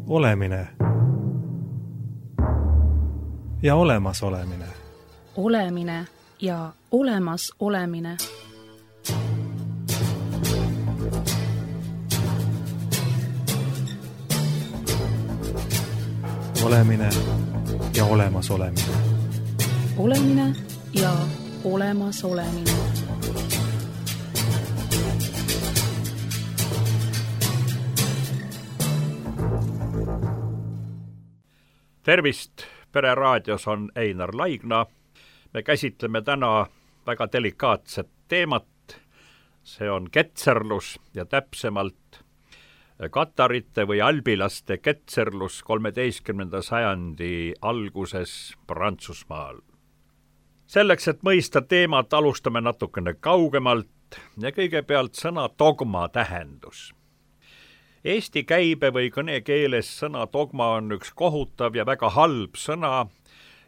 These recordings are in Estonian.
Olemine ja olemasolemine. Olemine ja olemas olemine. Olemine ja olemas olemine. Olemine ja olemas olemine. Tervist, Pere raadios on Einar Laigna. Me käsitleme täna väga delikaatset teemat. See on ketserlus ja täpsemalt katarite või albilaste ketserlus 13. sajandi alguses Prantsusmaal. Selleks, et mõista teemat, alustame natukene kaugemalt ja kõigepealt sõna dogma tähendus. Eesti käibe või kõnekeeles sõna dogma on üks kohutav ja väga halb sõna,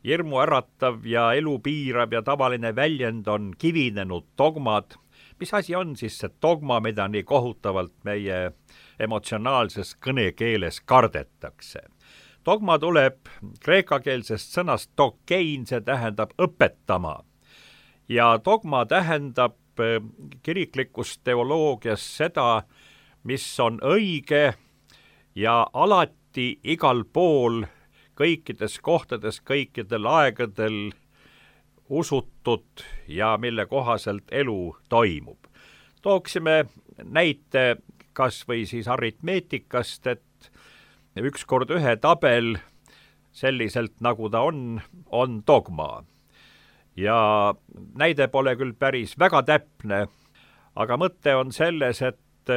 hirmuäratav ja elu piirav ja tavaline väljend on kivinenud dogmad. Mis asi on siis see dogma, mida nii kohutavalt meie emotsionaalses kõnekeeles kardetakse? Dogma tuleb kreekakeelsest sõnast dokein, see tähendab õpetama. Ja dogma tähendab kiriklikus teoloogias seda, mis on õige ja alati igal pool, kõikides kohtades, kõikidel aegadel usutud ja mille kohaselt elu toimub. Tooksime näite kas või siis aritmeetikast, et 1 × 1 tabel selliselt nagu ta on dogma. Ja näide pole küll päris väga täpne, aga mõte on selles, et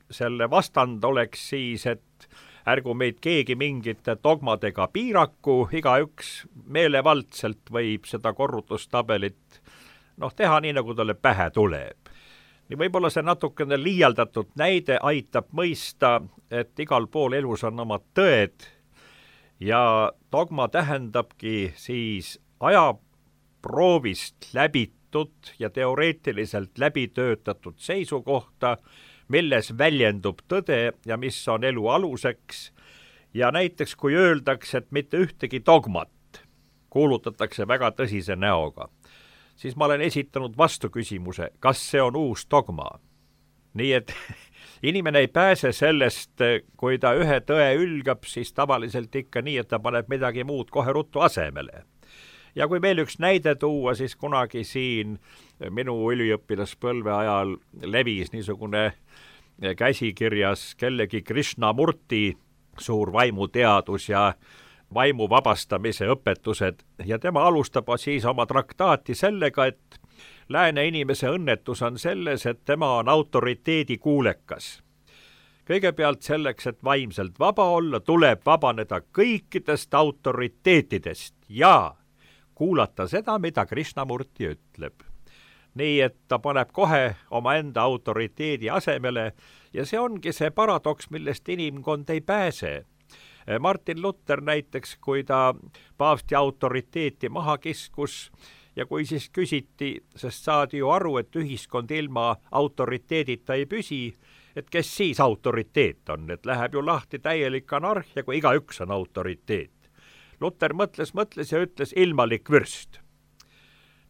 selle vastand oleks siis, et ärgu meid keegi mingite dogmadega piiraku, igaüks meelevaldselt võib seda korrutustabelit teha nii, nagu talle pähe tuleb. Nii võib-olla see natukene liialdatud näide aitab mõista, et igal pool elus on omad tõed ja dogma tähendabki siis ajaproovist läbitud ja teoreetiliselt läbitöötatud seisukohta, milles väljendub tõde ja mis on elu aluseks. Ja näiteks kui öeldakse, et mitte ühtegi dogmat kuulutatakse väga tõsise näoga, siis ma olen esitanud vastuküsimuse, kas see on uus dogma. Nii et inimene ei pääse sellest, kui ta ühe tõe ülgab, siis tavaliselt ikka nii, et ta paneb midagi muud kohe ruttu asemele. Ja kui veel üks näide tuua, siis kunagi siin minu üliõpilaspõlve ajal levis niisugune käsikirjas kellegi Krishnamurti suur vaimuteadus ja vaimu vabastamise õpetused ja tema alustab siis oma traktaati sellega, et lääne inimese õnnetus on selles, et tema on autoriteedi kuulekas. Kõigepealt selleks, et vaimselt vaba olla, tuleb vabaneda kõikidest autoriteetidest ja kuulata seda, mida Krishnamurti ütleb. Nii, et ta paneb kohe omaenda autoriteedi asemele ja see ongi see paradoks, millest inimkond ei pääse. Martin Luther näiteks, kui ta paavsti autoriteeti maha kiskus ja kui siis küsiti, sest saadi ju aru, et ühiskond ilma autoriteedita ei püsi, et kes siis autoriteet on, et läheb ju lahti täielik anarhia, kui igaüks on autoriteet. Luther mõtles ja ütles ilmalik vürst.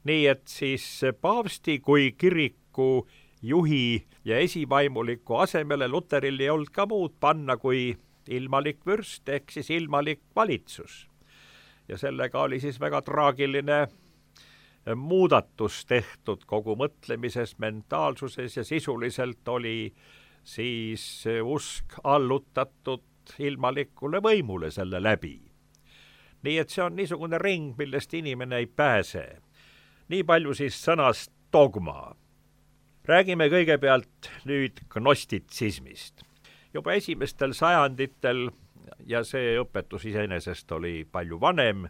Nii et siis paavsti kui kiriku juhi ja esivaimuliku asemele Lutheril ei olnud ka muud panna kui ilmalik vürst ehk siis ilmalik valitsus. Ja sellega oli siis väga traagiline muudatus tehtud kogu mõtlemises, mentaalsuses ja sisuliselt oli siis usk allutatud ilmalikule võimule selle läbi. Nii et see on niisugune ring, millest inimene ei pääse. Nii palju siis sõnast dogma. Räägime kõigepealt nüüd gnostitsismist. Juba esimestel sajanditel, ja see õpetus iseenesest oli palju vanem,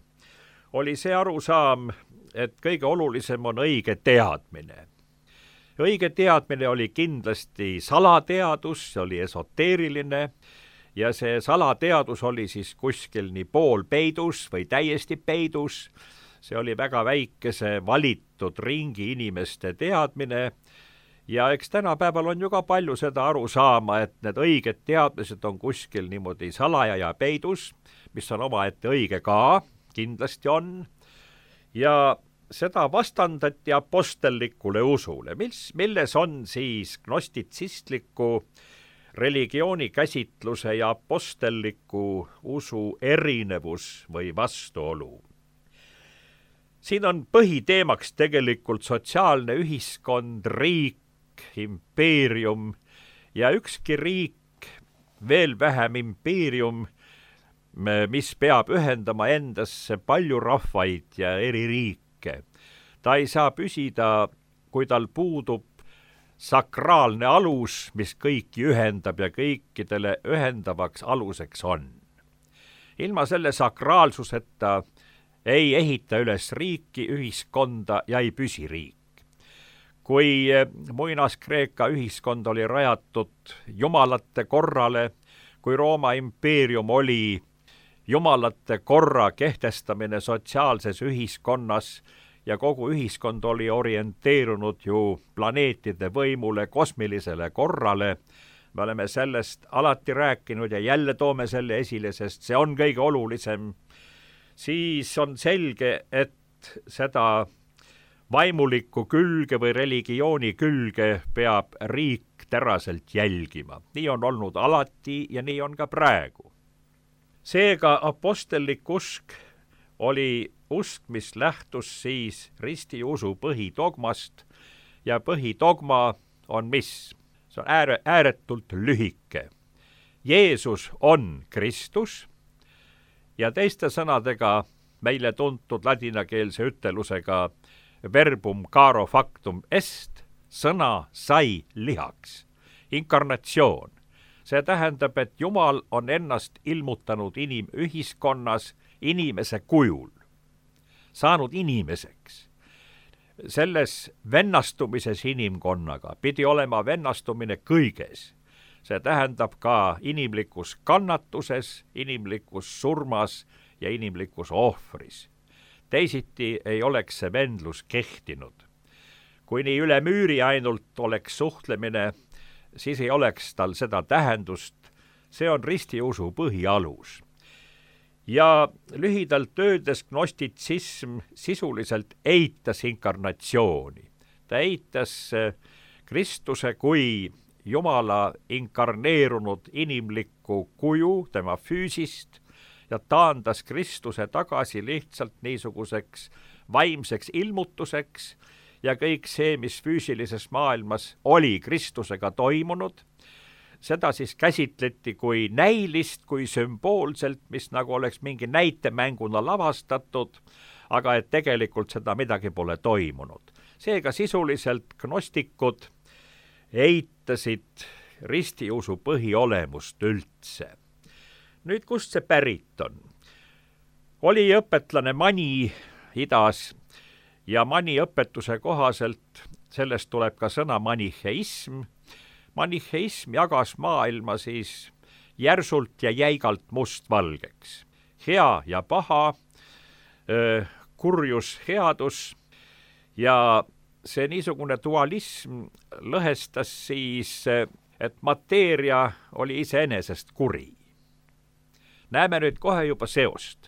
oli see arusaam, et kõige olulisem on õige teadmine. Õige teadmine oli kindlasti salateadus, see oli esoteeriline, ja see salateadus oli siis kuskil nii pool peidus või täiesti peidus. See oli väga väikese valitud ringi inimeste teadmine ja eks tänapäeval on ju ka palju seda aru saama, et need õiged teadmised on kuskil niimoodi salaja ja peidus, mis on omaette õige ka, kindlasti on, ja seda vastandati apostellikule usule, milles on siis gnostitsistliku religiooni käsitluse ja apostelliku usu erinevus või vastuolu. Siin on põhiteemaks tegelikult sotsiaalne ühiskond, riik, impeerium ja ükski riik, veel vähem impeerium, mis peab ühendama endasse palju rahvaid ja eri riike. Ta ei saa püsida, kui tal puudub sakraalne alus, mis kõiki ühendab ja kõikidele ühendavaks aluseks on. Ilma selle sakraalsuseta ei ehita üles riiki, ühiskonda ja ei püsi riik. Kui muinas-Kreeka ühiskond oli rajatud jumalate korrale, kui Rooma impeerium oli jumalate korra kehtestamine sotsiaalses ühiskonnas ja kogu ühiskond oli orienteerunud ju planeetide võimule, kosmilisele korrale, me oleme sellest alati rääkinud ja jälle toome selle esile, sest see on kõige olulisem, siis on selge, et seda vaimulikku külge või religiooni külge peab riik teraselt jälgima. Nii on olnud alati ja nii on ka praegu. Seega apostellik usk oli usk, mis lähtus siis ristiusu põhidogmast ja põhidogma on mis? See on ääretult lühike. Jeesus on Kristus ja teiste sõnadega meile tuntud ladinakeelse ütelusega verbum caro factum est, sõna sai lihaks, inkarnatsioon. See tähendab, et Jumal on ennast ilmutanud inimühiskonnas inimese kujul, saanud inimeseks. Selles vennastumises inimkonnaga pidi olema vennastumine kõiges. See tähendab ka inimlikus kannatuses, inimlikus surmas ja inimlikus ohvris. Teisiti ei oleks see vendlus kehtinud. Kui nii üle müüri ainult oleks suhtlemine, siis ei oleks tal seda tähendust. See on ristiusu põhialus. Ja lühidalt öeldes gnostitsism sisuliselt eitas inkarnatsiooni. Ta eitas Kristuse kui Jumala inkarneerunud inimlikku kuju, tema füüsist, ja taandas Kristuse tagasi lihtsalt niisuguseks vaimseks ilmutuseks ja kõik see, mis füüsilises maailmas oli Kristusega toimunud, seda siis käsitleti kui näilist, kui sümboolselt, mis nagu oleks mingi näitemänguna lavastatud, aga et tegelikult seda midagi pole toimunud. Seega sisuliselt gnostikud eitasid ristiusu põhiolemust üldse. Nüüd, kust see pärit on? Oli õpetlane Mani idas ja Mani õpetuse kohaselt, sellest tuleb ka sõna maniheism. Maniheism jagas maailma siis järsult ja jäigalt mustvalgeks. Hea ja paha, kurjus, headus ja see niisugune dualism lõhestas siis, et mateeria oli iseenesest kuri. Näeme nüüd kohe juba seost.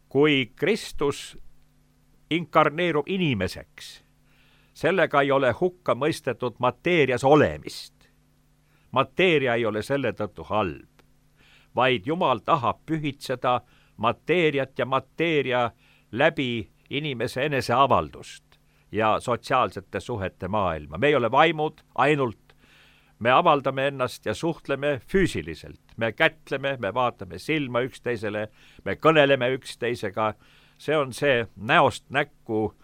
Kui Kristus inkarneerub inimeseks, sellega ei ole hukka mõistetud mateerias olemist. Mateeria ei ole selle tõttu halb, vaid Jumal tahab pühitseda mateeriat ja mateeria läbi inimese eneseavaldust ja sotsiaalsete suhete maailma. Me ei ole vaimud ainult. Me avaldame ennast ja suhtleme füüsiliselt. Me kätleme, me vaatame silma üksteisele, me kõneleme üksteisega. See on see näost näkku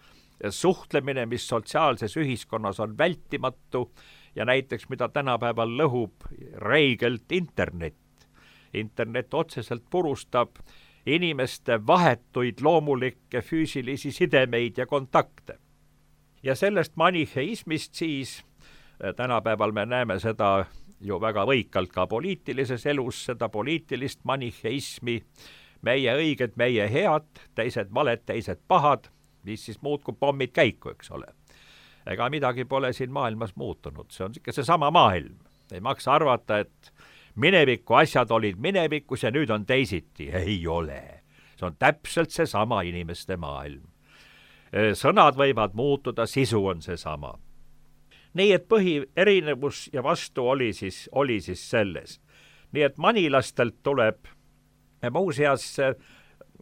suhtlemine, mis sotsiaalses ühiskonnas on vältimatu ja näiteks mida tänapäeval lõhub reigelt internet. Internet otseselt purustab inimeste vahetuid loomulikke füüsilisi sidemeid ja kontakte. Ja sellest maniheismist siis tänapäeval me näeme seda ju väga võikalt ka poliitilises elus, seda poliitilist maniheismi, meie õiged, meie head, teised valed, teised pahad, mis siis muud kui pommid käiku, eks ole. ega midagi pole siin maailmas muutunud, see on ikka seesama maailm. Ei maksa arvata, et mineviku asjad olid minevikus ja nüüd on teisiti. Ei ole. See on täpselt seesama inimeste maailm. Sõnad võivad muutuda, sisu on seesama. Nii et põhierinevus ja vastu oli siis selles. Nii et manilastelt tuleb, muuseas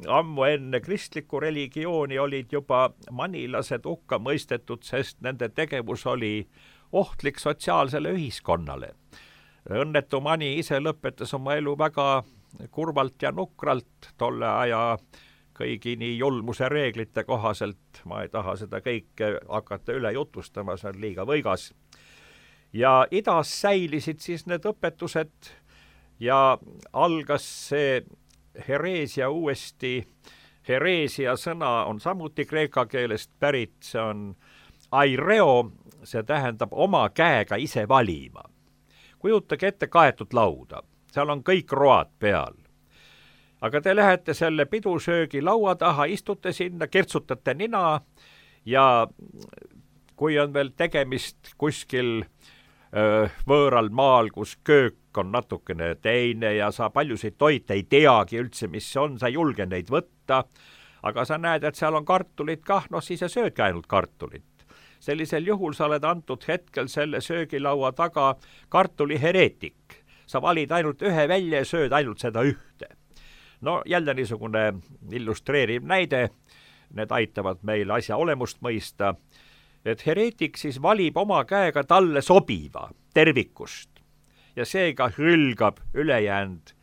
ammu enne kristlikku religiooni olid juba manilased hukka mõistetud, sest nende tegevus oli ohtlik sotsiaalsele ühiskonnale. Õnnetu mani ise lõpetas oma elu väga kurvalt ja nukralt tolle aja kõigi nii julmuse reeglite kohaselt. Ma ei taha seda kõike hakata üle jutustama, see on liiga võigas. Ja idas säilisid siis need õpetused ja algas see hereesia uuesti. Hereesia sõna on samuti kreeka keelest pärit, see on aireo, see tähendab oma käega ise valima. Kujutage ette kaetud lauda, seal on kõik road peal. Aga te lähete selle pidusöögi laua taha, istute sinna, kirtsutate nina ja kui on veel tegemist kuskil võõral maal, kus köök on natukene teine ja sa paljusid toite ei teagi üldse, mis see on, sa ei julge neid võtta, aga sa näed, et seal on kartulid kah, siis sa söödki ainult kartulit. Sellisel juhul sa oled antud hetkel selle söögilaua taga kartuli hereetik. Sa valid ainult ühe välja ja sööd ainult seda ühte. No jälle niisugune illustreeriv näide, need aitavad meil asja olemust mõista, et hereetik siis valib oma käega talle sobiva tervikust ja seega hülgab ülejäänud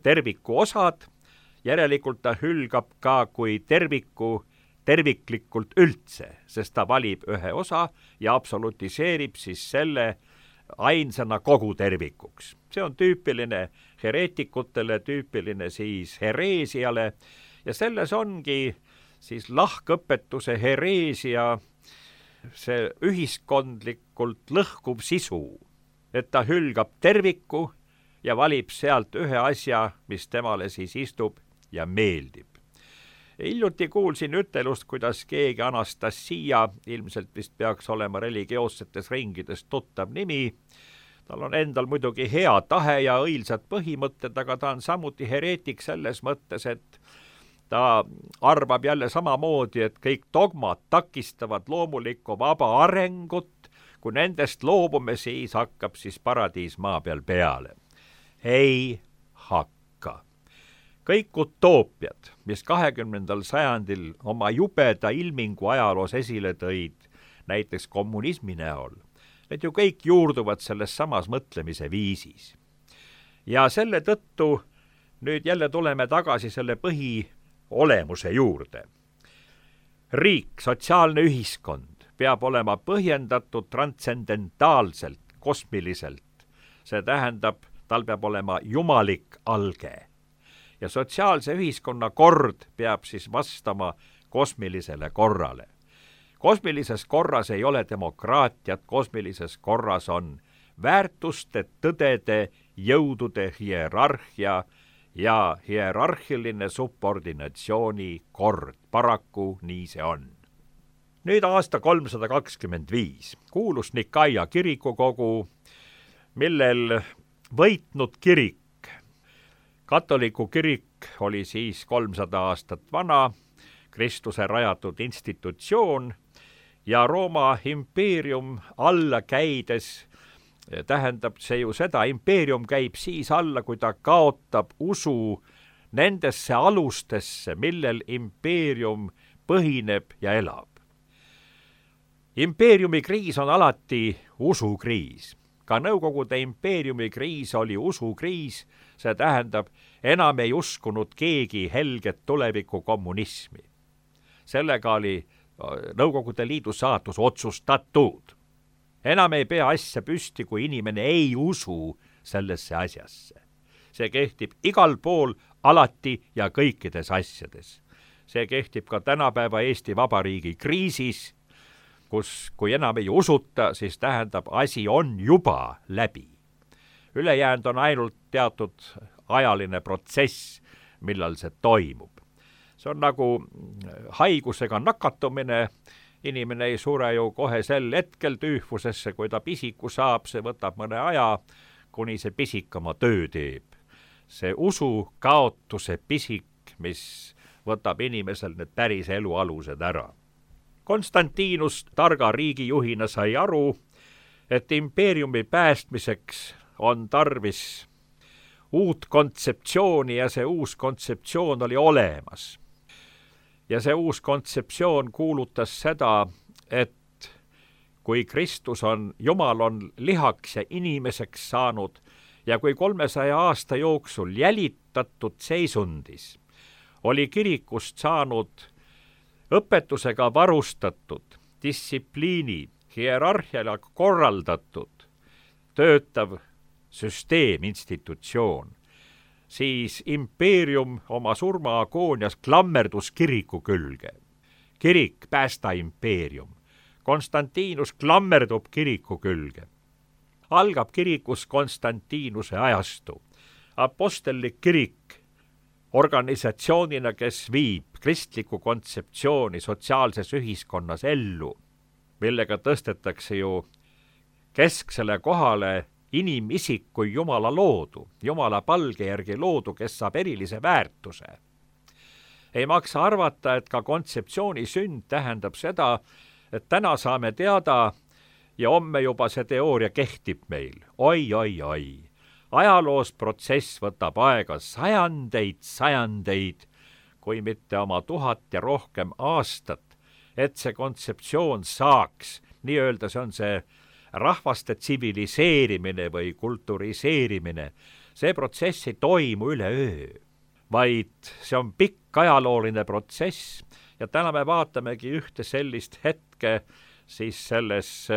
terviku osad, järelikult ta hülgab ka kui terviklikult üldse, sest ta valib ühe osa ja absolutiseerib siis selle ainsana kogu tervikuks. See on tüüpiline hereetikutele, tüüpiline siis hereesiale ja selles ongi siis lahkõpetuse hereesia see ühiskondlikult lõhkuv sisu, et ta hülgab terviku ja valib sealt ühe asja, mis temale siis istub ja meeldib. Hiljuti kuulsin ütelust, kuidas keegi Anastasia, ilmselt vist peaks olema religioossetes ringides tuttav nimi, tal on endal muidugi hea tahe ja õilsad põhimõtted, aga ta on samuti hereetik selles mõttes, et ta arvab jälle samamoodi, et kõik dogmad takistavad loomulikku vaba arengut, kui nendest loobume, siis hakkab siis paradiis maa peal peale. Ei hakka. Kõik utoopiad, mis 20. sajandil oma jubeda ilmingu ajaloos esile tõid, näiteks kommunismi näol, need ju kõik juurduvad selles samas mõtlemise viisis. Ja selle tõttu nüüd jälle tuleme tagasi selle põhiolemuse juurde. Riik, sotsiaalne ühiskond peab olema põhjendatud transcendentaalselt, kosmiliselt. See tähendab, tal peab olema jumalik alge. Ja sotsiaalse ühiskonna kord peab siis vastama kosmilisele korrale. Kosmilises korras ei ole demokraatiat, kosmilises korras on väärtuste, tõdede, jõudude hierarhia ja hierarhiline subordinatsiooni kord. Paraku nii see on. Nüüd aasta 325 kuulus Nikaia kirikukogu, millel võitnud kirik, katoliku kirik oli siis 300 aastat vana, Kristuse rajatud institutsioon ja Rooma impeerium alla käides tähendab see ju seda, impeerium käib siis alla, kui ta kaotab usu nendesse alustesse, millel impeerium põhineb ja elab. Impeeriumi kriis on alati usukriis. Ka Nõukogude impeeriumi kriis oli usukriis, see tähendab, enam ei uskunud keegi helget tuleviku kommunismi. Sellega oli Nõukogude Liidu saatus otsustatud. Enam ei pea asja püsti, kui inimene ei usu sellesse asjasse. See kehtib igal pool, alati ja kõikides asjades. See kehtib ka tänapäeva Eesti Vabariigi kriisis, kus kui enam ei usuta, siis tähendab, asi on juba läbi. Ülejäänud on ainult teatud ajaline protsess, millal see toimub. See on nagu haigusega nakatumine inimene ei sure ju kohe sel hetkel tüüfusesse, kui ta pisiku saab, see võtab mõne aja, kuni see pisik oma töö teeb. See usu kaotuse pisik, mis võtab inimesel need päris elu alused ära. Konstantinus targa riigijuhina sai aru, et impeeriumi päästmiseks on tarvis uut kontseptsiooni ja see uus kontseptsioon oli olemas. Ja see uus kontseptsioon kuulutas seda, et kui Kristus on, Jumal on lihaks ja inimeseks saanud ja kui 300 aasta jooksul jälitatud seisundis oli kirikust saanud õpetusega varustatud, distsipliini, hierarhiale korraldatud, töötav süsteem, institutsioon, siis impeerium oma surmaagoonias klammerdus kiriku külge. Kirik, päästa impeerium. Konstantinus klammerdub kiriku külge. Algab kirikus Konstantinuse ajastu. Apostellik kirik organisatsioonina, kes viib kristlikku kontseptsiooni sotsiaalses ühiskonnas ellu, millega tõstetakse ju kesksele kohale inimisik kui Jumala loodu, Jumala palge järgi loodu, kes saab erilise väärtuse. Ei maksa arvata, et ka kontseptsiooni sünd tähendab seda, et täna saame teada ja homme juba see teooria kehtib meil. Oi. Ajaloos protsess võtab aega sajandeid, kui mitte oma 1000 ja rohkem aastat, et see kontseptsioon saaks, nii-öelda see on see rahvaste tsiviliseerimine või kulturiseerimine. See protsess ei toimu üleöö, vaid see on pikk ajalooline protsess ja täna me vaatamegi ühte sellist hetke siis selles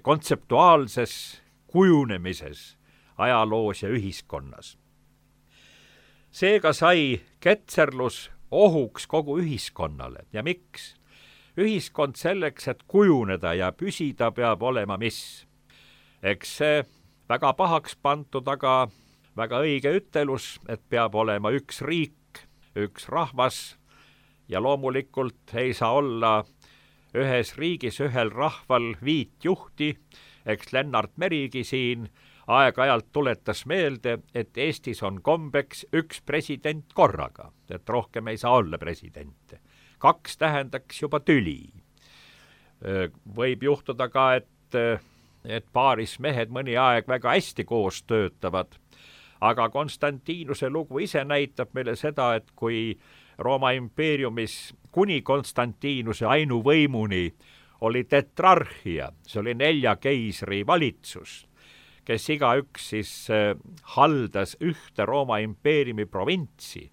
kontseptuaalses kujunemises ajaloos ja ühiskonnas. Seega sai ketserlus ohuks kogu ühiskonnale ja miks? Ühiskond selleks, et kujuneda ja püsida, peab olema mis? Eks see väga pahaks pandud, aga väga õige ütelus, et peab olema üks riik, üks rahvas ja loomulikult ei saa olla ühes riigis, ühel rahval 5 juhti. Eks Lennart Merigi siin aeg-ajalt tuletas meelde, et Eestis on kombeks üks president korraga, et rohkem ei saa olla presidente. 2 tähendaks juba tüli. Võib juhtuda ka, et paaris mehed mõni aeg väga hästi koos töötavad, aga Konstantinuse lugu ise näitab meile seda, et kui Rooma impeeriumis kuni Konstantinuse ainuvõimuni oli tetrarhia, see oli 4 keisri valitsus, kes igaüks siis haldas ühte Rooma impeeriumi provintsi,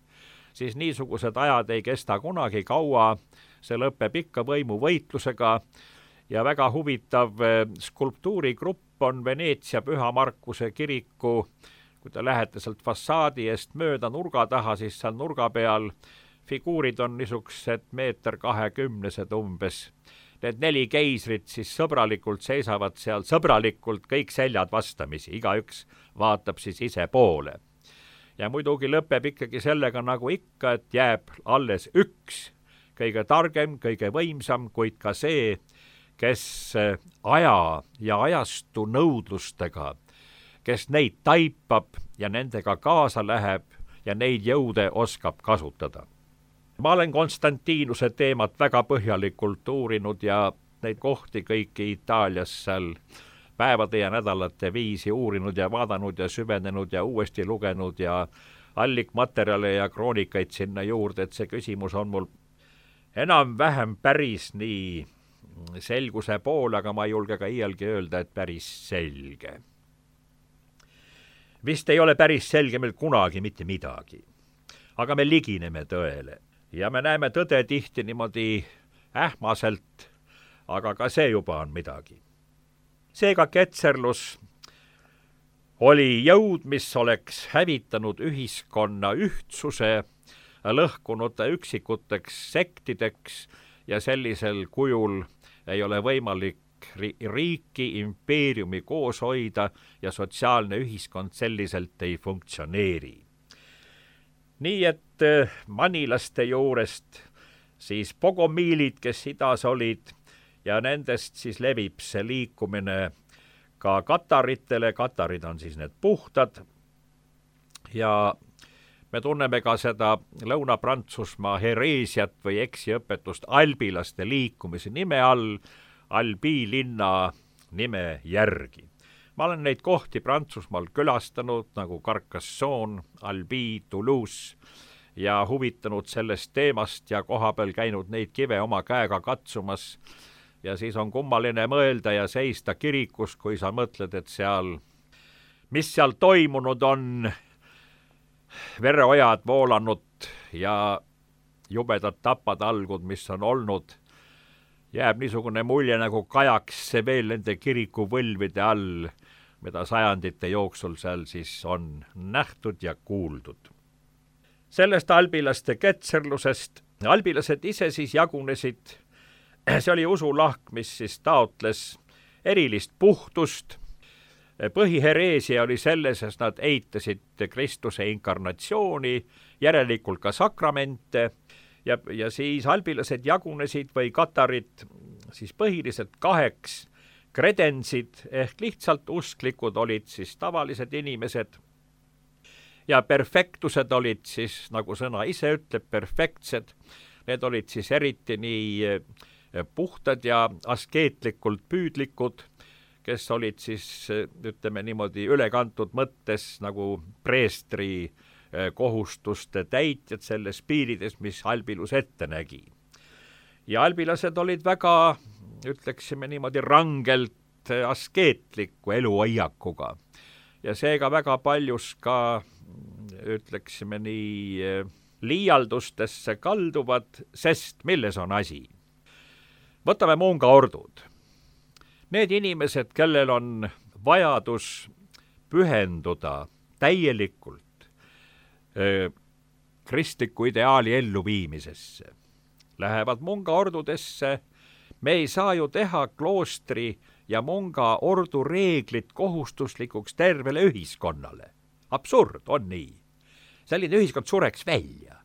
siis niisugused ajad ei kesta kunagi kaua, see lõpeb ikka võimuvõitlusega ja väga huvitav skulptuurigrupp on Veneetsia Püha Markuse kiriku, kui te lähete sealt fassaadi eest mööda nurga taha, siis seal nurga peal figuurid on niisugused 1,20 m umbes. Need 4 keisrit siis sõbralikult seisavad seal, sõbralikult kõik seljad vastamisi, igaüks vaatab siis ise poole. Ja muidugi lõpeb ikkagi sellega nagu ikka, et jääb alles üks, kõige targem, kõige võimsam, kuid ka see, kes aja ja ajastu nõudlustega, kes neid taipab ja nendega kaasa läheb ja neid jõude oskab kasutada. Ma olen Konstantinuse teemat väga põhjalikult uurinud ja neid kohti kõiki Itaalias seal päevade ja nädalate viisi uurinud ja vaadanud ja süvenenud ja uuesti lugenud ja allikmaterjale ja kroonikaid sinna juurde, et see küsimus on mul enam-vähem päris nii selguse pool, aga ma ei julge ka iialgi öelda, et päris selge. Vist ei ole päris selge meil kunagi mitte midagi, aga me ligineme tõele ja me näeme tõde tihti niimoodi ähmaselt, aga ka see juba on midagi. Seega ketserlus oli jõud, mis oleks hävitanud ühiskonna ühtsuse, lõhkunud üksikuteks sektideks ja sellisel kujul ei ole võimalik riiki, impeeriumi koos hoida ja sotsiaalne ühiskond selliselt ei funktsioneeri. Nii et manilaste juurest siis bogomiilid, kes idas olid, ja nendest siis levib see liikumine ka kataritele, katarid on siis need puhtad, ja me tunneme ka seda Lõuna-Prantsusmaa hereesiat või eksiõpetust albilaste liikumise nime all, Albi linna nime järgi. Ma olen neid kohti Prantsusmaal külastanud, nagu Carcassonne, Albi, Toulouse, ja huvitanud sellest teemast ja kohapeal käinud neid kive oma käega katsumas, ja siis on kummaline mõelda ja seista kirikus, kui sa mõtled, et mis seal toimunud on, vereojad voolanud ja jubedad tapatalgud, mis on olnud, jääb niisugune mulje, nagu kajaks see veel nende kirikuvõlvide all, mida sajandite jooksul seal siis on nähtud ja kuuldud. Sellest albilaste ketserlusest albilased ise siis jagunesid, see oli usulahk, mis siis taotles erilist puhtust. Põhihereesia oli selles, et nad eitasid Kristuse inkarnatsiooni, järelikult ka sakramente, ja siis albilased jagunesid või katarid siis põhiliselt 2 kredensid, ehk lihtsalt usklikud olid siis tavalised inimesed, ja perfektused olid siis, nagu sõna ise ütleb, perfektsed, need olid siis eriti nii puhtad ja askeetlikult püüdlikud, kes olid siis, ütleme niimoodi, ülekantud mõttes nagu preestri kohustuste täitjad selles piirides, mis albilus ette nägi. Ja albilased olid väga, ütleksime niimoodi, rangelt askeetliku eluhoiakuga. Ja seega väga paljus ka, ütleksime nii, liialdustesse kalduvad, sest milles on asi? Võtame mungaordud. Need inimesed, kellel on vajadus pühenduda täielikult kristliku ideaali elluviimisesse, lähevad mungaordudesse. Me ei saa ju teha kloostri ja mungaordu reeglid kohustuslikuks tervele ühiskonnale. Absurd, on nii. Selline ühiskond sureks välja.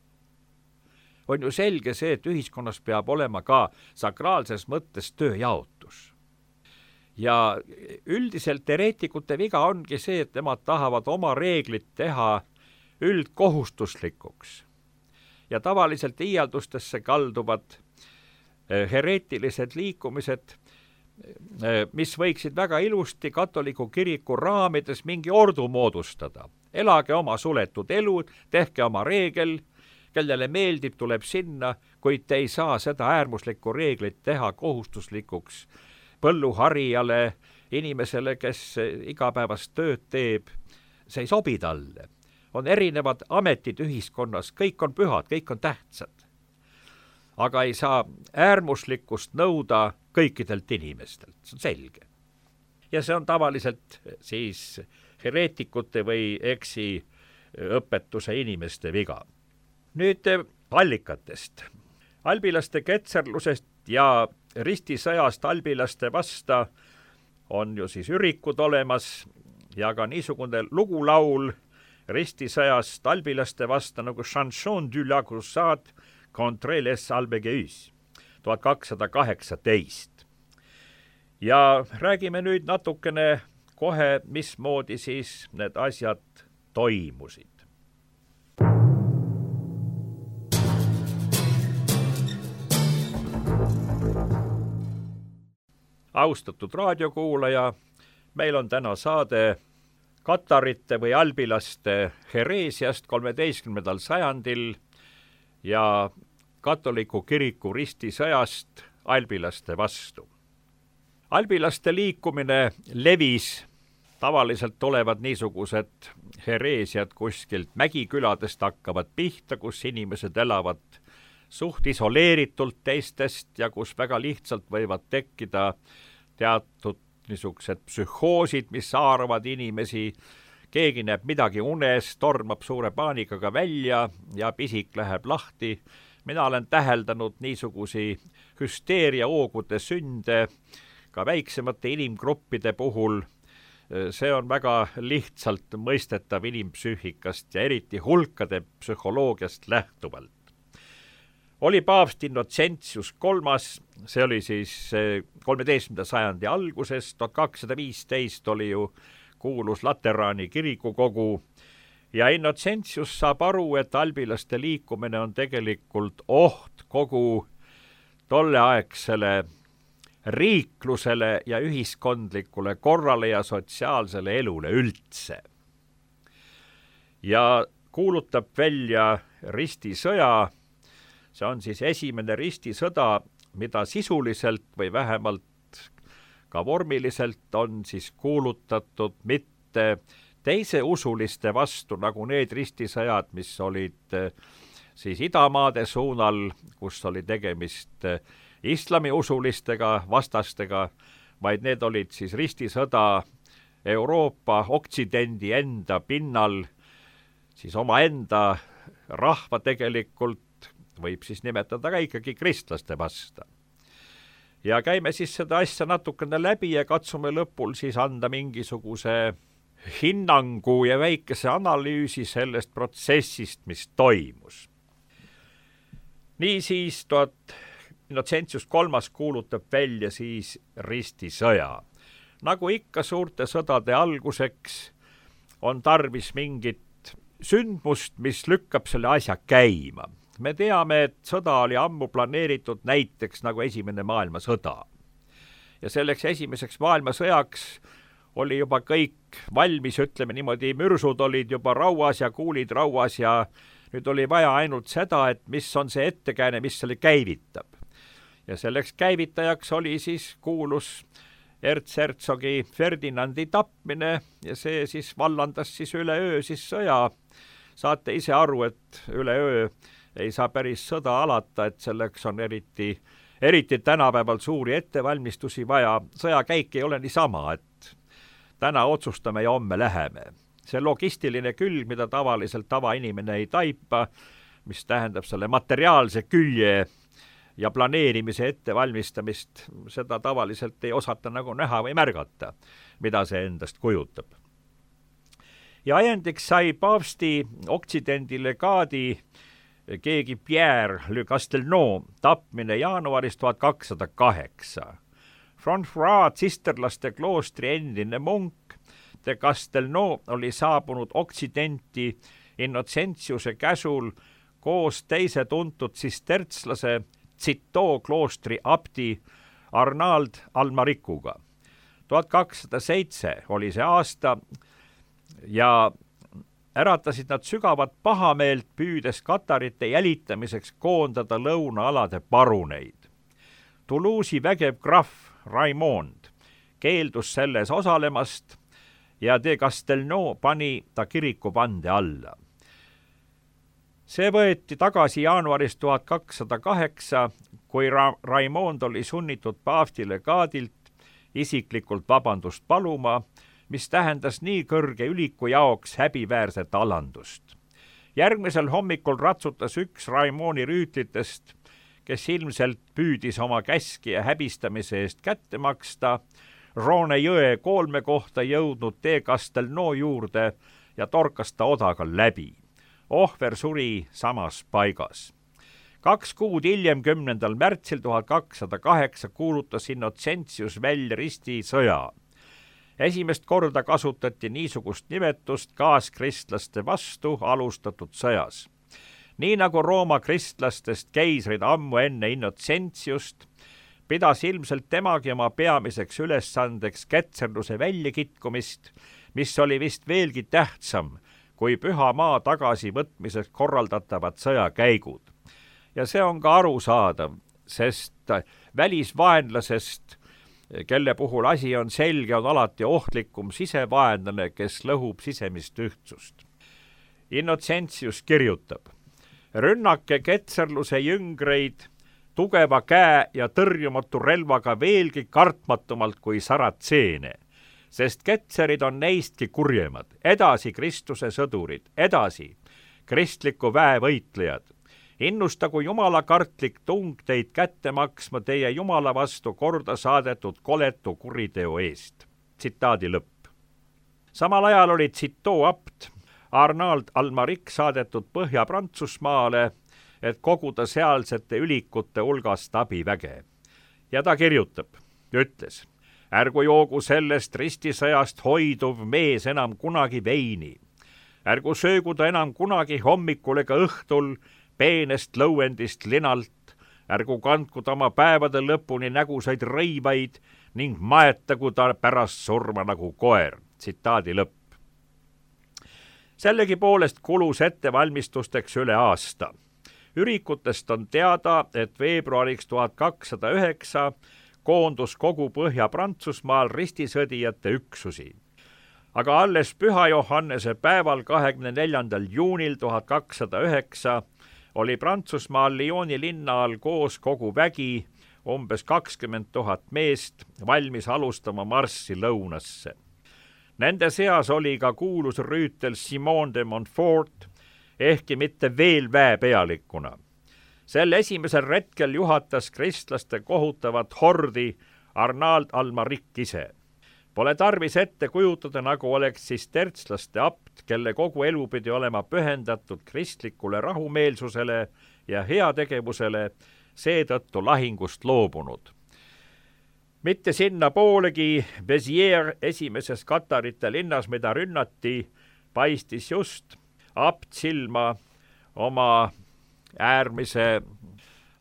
On ju selge see, et ühiskonnas peab olema ka sakraalses mõttes tööjaotus. Ja üldiselt hereetikute viga ongi see, et nemad tahavad oma reeglid teha üldkohustuslikuks. Ja tavaliselt iialdustesse kalduvad hereetilised liikumised, mis võiksid väga ilusti katoliku kiriku raamides mingi ordu moodustada. Elage oma suletud elu, tehke oma reegel, kellele meeldib, tuleb sinna, kuid te ei saa seda äärmuslikku reeglit teha kohustuslikuks põlluharijale, inimesele, kes igapäevast tööd teeb. See ei sobi talle. On erinevad ametid ühiskonnas, kõik on pühad, kõik on tähtsad. Aga ei saa äärmuslikkust nõuda kõikidelt inimestelt, see on selge. Ja see on tavaliselt siis hereetikute või eksiõpetuse inimeste viga. Nüüd allikatest. Albilaste ketserlusest ja ristisõjast albilaste vasta on ju siis ürikud olemas ja ka niisugune lugulaul ristisõjast albilaste vasta nagu Chanson du la Crusade contre les Albigeus 1218. Ja räägime nüüd natukene kohe, mismoodi siis need asjad toimusid. Austatud raadiokuulaja, meil on täna saade katarite või albilaste hereesiast 13. sajandil ja katoliku kiriku ristisõjast albilaste vastu. Albilaste liikumine levis, tavaliselt olevad niisugused hereesiad kuskilt mägiküladest hakkavad pihta, kus inimesed elavad suht isoleeritult teistest ja kus väga lihtsalt võivad tekkida teatud niisugused psühhoosid, mis haaravad inimesi, keegi näeb midagi unes, tormab suure paanikaga välja ja pisik läheb lahti. Mina olen täheldanud niisugusi hüsteeriaoogude sünde ka väiksemate inimgruppide puhul. See on väga lihtsalt mõistetav inimpsüühikast ja eriti hulkade psühholoogiast lähtuvalt. oli paavst Innocentius kolmas, see oli siis 13. sajandi alguses, 1215 oli ju kuulus Lateraani kirikukogu ja Innocentius saab aru, et albilaste liikumine on tegelikult oht kogu tolleaegsele riiklusele ja ühiskondlikule korrale ja sotsiaalsele elule üldse. Ja kuulutab välja ristisõja, see on siis esimene ristisõda, mida sisuliselt või vähemalt ka vormiliselt on siis kuulutatud mitte teise usuliste vastu, nagu need ristisõjad, mis olid siis idamaade suunal, kus oli tegemist islamiusulistega vastastega, vaid need olid siis ristisõda Euroopa oksidendi enda pinnal, siis omaenda rahva tegelikult võib siis nimetada ka ikkagi kristlaste vastu. Ja käime siis seda asja natukene läbi ja katsume lõpul siis anda mingisuguse hinnangu ja väikese analüüsi sellest protsessist, mis toimus. Niisiis Innocentius kolmas kuulutab välja siis ristisõja. Nagu ikka suurte sõdade alguseks on tarvis mingit sündmust, mis lükkab selle asja käima. Me teame, et sõda oli ammu planeeritud näiteks nagu Esimene maailmasõda. Ja selleks esimeseks maailmasõjaks oli juba kõik valmis, ütleme niimoodi, mürsud olid juba rauas ja kuulid rauas ja nüüd oli vaja ainult seda, et mis on see ettekääne, mis selle käivitab. Ja selleks käivitajaks oli siis kuulus ertshertsogi Ferdinandi tapmine ja see siis vallandas siis üleöö siis sõja. Saate ise aru, et üleöö ei saa päris sõda alata, et selleks on eriti tänapäeval suuri ettevalmistusi vaja. Sõjakäik ei ole niisama, et täna otsustame ja homme läheme. See logistiline külg, mida tavaliselt tavainimene ei taipa, mis tähendab selle materiaalse külje ja planeerimise ettevalmistamist, seda tavaliselt ei osata nagu näha või märgata, mida see endast kujutab. Ja ajendiks sai paavsti oksidendi legaadi keegi Pierre Le Castelnau tapmine jaanuaris 1208. François tsisterlaste kloostri endine munk de Castelnau oli saabunud oksidenti Innocentiuse käsul koos teise tuntud tsistertslase Citeaux kloostri abdi Arnauld Almarikuga. 1207 oli see aasta ja äratasid nad sügavat pahameelt, püüdes katarite jälitamiseks koondada lõunaalade paruneid. Toulouse'i vägev krahv Raimond keeldus selles osalemast ja de Castelnau pani ta kirikuvande alla. See võeti tagasi jaanuaris 1208, kui Raimond oli sunnitud paavsti legaadilt isiklikult vabandust paluma, mis tähendas nii kõrge üliku jaoks häbiväärset alandust. Järgmisel hommikul ratsutas üks Raimondi rüütlitest, kes ilmselt püüdis oma käskija häbistamise eest kätte maksta, Roone jõe koolme kohta jõudnud de Castelnau juurde ja torkas ta odaga läbi. Ohver suri samas paigas. 2 kuud hiljem, 10. märtsil 1208 kuulutas Innocentius välja ristisõja. Esimest korda kasutati niisugust nimetust kaaskristlaste vastu alustatud sõjas. Nii nagu Rooma kristlastest keisrid ammu enne Innocentiust, pidas ilmselt temagi oma peamiseks ülesandeks ketserluse väljakitkumist, mis oli vist veelgi tähtsam kui püha maa tagasivõtmiseks korraldatavad sõjakäigud. Ja see on ka arusaadav, sest välisvaenlasest, kelle puhul asi on selge, on alati ohtlikum sisevaenlane, kes lõhub sisemist ühtsust. Innocentius kirjutab: rünnake ketserluse jüngreid tugeva käe ja tõrjumatu relvaga veelgi kartmatumalt kui saratseene, sest ketserid on neistki kurjemad, edasi Kristuse sõdurid, edasi kristliku väe võitlejad. Innustagu jumalakartlik tung teid kätte maksma teie jumala vastu korda saadetud koletu kuriteo eest. Tsitaadi lõpp. Samal ajal oli Citeaux abt Arnauld Almaric saadetud Põhja-Prantsusmaale et koguda sealsete ülikute hulgast abiväge. Ja ta kirjutab, ütles, ärgu joogu sellest ristisõjast hoiduv mees enam kunagi veini. Ärgu söögu ta enam kunagi hommikul ega õhtul peenest lõuendist linalt, ärgu kandku ta oma päevade lõpuni nägusaid rõivaid ning maetagu ta pärast surma nagu koer. Tsitaadi lõpp. Sellegipoolest kulus ettevalmistusteks üle aasta. Ürikutest on teada, et veebruariks 1209 koondus kogu Põhja-Prantsusmaal ristisõdijate üksusi. Aga alles Püha Johannese päeval 24. juunil 1209 oli Prantsusmaal Lyoni linna all koos kogu vägi, umbes 20 000 meest, valmis alustama marssi lõunasse. Nende seas oli ka kuulus rüütel Simon de Montfort, ehkki mitte veel väepealikuna. Sel esimesel retkel juhatas kristlaste kohutavat hordi Arnauld Almaric ise. Pole tarvis ette kujutada, nagu oleks sistertslaste abt, kelle kogu elu pidi olema pühendatud kristlikule rahumeelsusele ja heategevusele, seetõttu lahingust loobunud. Mitte sinna poolegi Béziers esimeses katarite linnas, mida rünnati, paistis just abt silma oma äärmise